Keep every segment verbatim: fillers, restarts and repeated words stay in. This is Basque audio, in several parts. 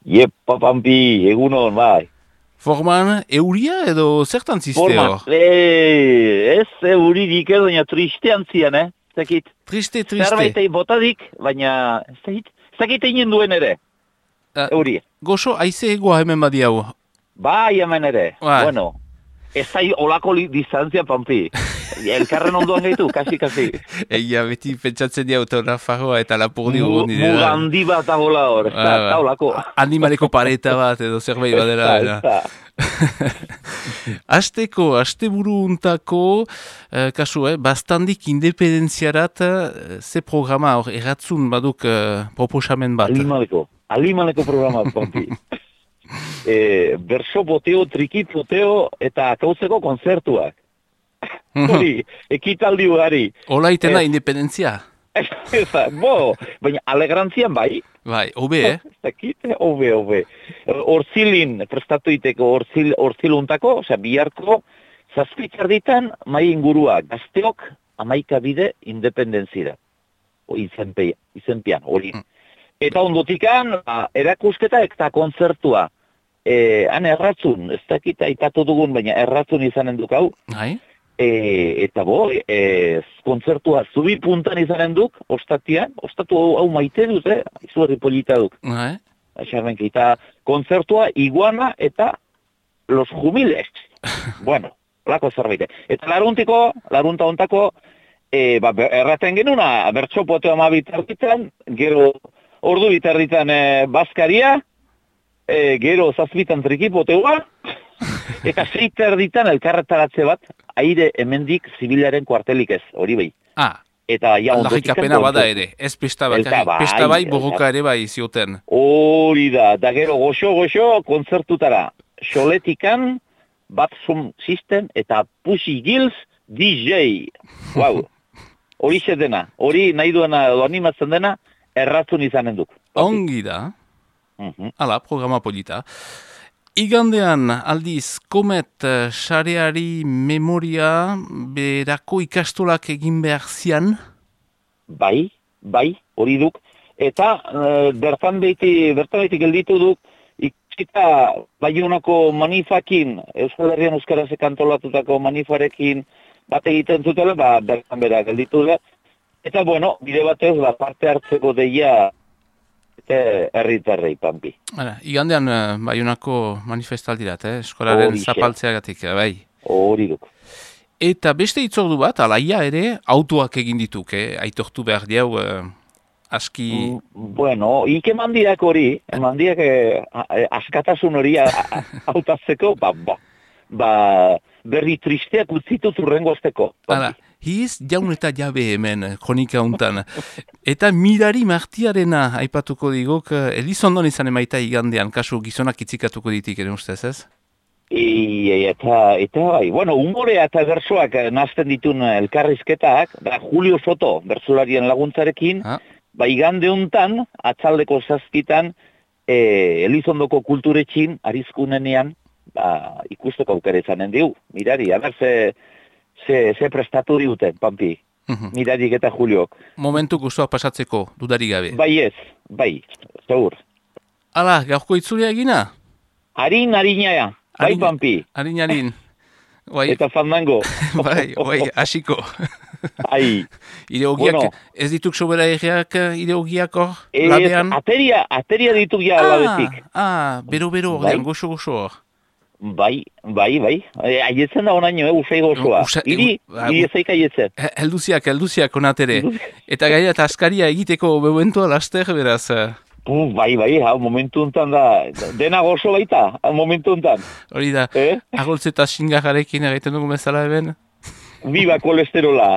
Iepa, Pampi, egunon, bai. Forman, euria edo zertan ziste Forman, hor? e, ez euririk edo, baina tristean zian, eh? Zekit. Triste, triste. Zerbait egin botadik, baina zekit, zekit egin duen ere, Uh, euria. Goxo, aize egoa hemen badiau. Bai, hemen ere. Bai. Bueno, ez zai olako li, distantzia, Pampi. Elkarren ondoan gaitu, kasi, kasi. Eia, beti pentsatzen dia autografagoa eta lapurdi Mu- ugon dira. Muga handi bat dagoela hor, ez da, Ah, ez da olako. Animaleko pareta bat edo zerbait badela. Ez da, ez da. Asteko, asteburu untako, eh, kasu, eh, bastandik independenziarat, eh, ze programa hor, erratzun baduk eh, proposamen bat. Alimaleko, alimaleko programa, Pampi. e, berso poteo, triki poteo eta akauzeko konzertuak. Hori, ekitaldi ugari. Ola itena Ez. independentzia. Eza, bo, baina alegrantzian bai. Bai, hobe, eh? Ez dakit, hobe, hobe. Horzilin, prestatu iteko horzil, horziluntako, osea, biharko, zazpitxarditan mai ingurua, gazteok amaika bide independenzira. O, izenpe, izenpian, hori. Eta ondotikan, ba, erakusketa eta kontzertua. E, han erratzun, ez dakit aipatu dugun, baina erratzun izanen duk hau. Bai? E, eta bo, e, kontzertua zubi puntan izanen duk, ostatian, ostatu hau, hau maite dut, eh? Izugarri polita duk. Bai? Aixarrenki, eta kontzertua iguana eta los jumiles. Bueno, lako zerbait. Eta laruntiko, larunta ontako, e, ba, erraten genuna, bertso poteo ama bitarritan, gero ordu bitarritan e, bazkaria, e, gero zazpitan triki poteoa, eta zeiterditan elkarretaratze bat, aire hemendik zibilaren kuartelik ez, hori bai. Ah, Eta ja ondotikan... aldarrikapena bada ere, ez pesta Elta bakarrik, bai, pesta bai, elta- borroka ere bai zioten. Hori da, da gero goxo-goxo kontzertutara. Xoletikan, Batsum System eta Pussy Gills D J. Wow. Hori dena, hori nahi duena edo animatzen dena, erratzun izanen duk. Ongi da, Mhm. ala, programa polita. Igandean, aldiz, komet eh, sareari memoria berako ikastolak egin behar zian. Bai, bai, hori duk. Eta e, bertan beti, bertan beti gelditu duk, ikusita Baionako manifakin, Euskal Herrian Euskaraz kantolatutako manifarekin bat egiten zutela, ba, bertan bera gelditu da. Eta, bueno, bide batez, ba, parte hartzeko deia eta herritarrei, Pampi. Hala, igandean, eh, Baionako manifestaldirat, eh? Eskolaren Horixe. zapaltzeagatik, eh, bai. Hori duk. Eta beste itzordu bat, alaia ere, autoak egin dituk, eh? Aitortu behar diau, eh, aski... Mm, Bueno, ik eman diak hori, eman diak eh, a- a- askatasun hori a- a- hautatzeko, ba, ba, ba, berri tristeak utzitut urrengozteko. Hala, hiz jaun eta jabe hemen, eh, kronika untan. Eta mirari martiarena aipatuko digok, eh, Elizondon izan emaita igandean, kasu gizonak itzikatuko ditik ere ustez, ez? I, eta, eta bai, bueno, humorea eta bersoak eh, nazten ditun eh, elkarrizketak, da Julio Soto, bersolarien laguntzarekin, Ha? ba, igande hontan, atzaldeko zazpitan, e, Elizondoko kulturetxin, arizkunenean, ba, ikusteko aukera izanen diu, mirari, aber ze, ze, ze prestatu diuten, Pampi, Mhm. mirarik eta Juliok. Momentu gustoak pasatzeko, dudarik gabe. Bai ez, bai, segur. Hala, gaurko itzulia egina? Harin, harina, bai, Harin- Pampi, Harin, harin. Bai, eta fandango. bai, bai, hasiko. Ai, Ideogiak, Bueno. ez dituk sobera egiak ideogiak hor, ez, labean? ateria, ateria ditu ja labetik. Ah, bero, bero, Bai. ordean, goxo, goxo hor. Bai, bai, bai. E, aietzen da onaino, eh, usai gozoa. Usa- Iri, ba, iri ezaik aietzen. He- Helduziak, helduziak onatere. Eta gaia eta askaria egiteko momentua laster, beraz. eh, Uh, bai, bai, hau momentu hontan da, dena gozo baita, hau momentu hontan. Hori da, Eh? agoltze eta xingarrarekin egiten dugu bezala eben. Biba kolesterola.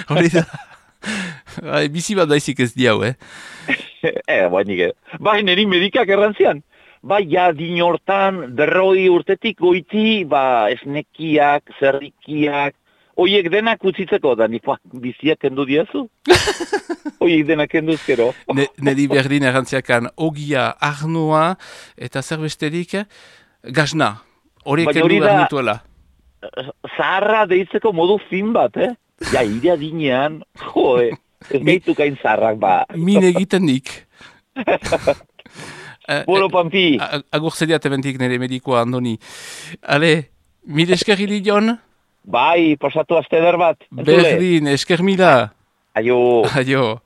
Hori da. Bai, bizi bat daizik ez diau, eh? eh, bai, nike. Bai, niri medikak errantzian. Bai, ja, din hortan, berroi urtetik goiti, ba, esnekiak, zerrikiak, oiek denak utzitzeko, da, nipa, biziak kendu diazu? Oiek denak kenduzkero. Ne, nedi berdin errantziakan ogia, arnoa, eta zer besterik, gazna. Horiek Baina kendu hori behar da- nituela. Zaharra deitzeko modu fin bat, eh? Ja, ire adinean, joe, ez Mi- gaitu gain zaharrak, ba. Min egiten nik. Bueno, Pampi. Agur zediat ebentik nire medikoa, Andoni. Ale, mil esker hili jon? Bai, pasatu azte eder bat. Berdin, esker mila. Aio. Aio.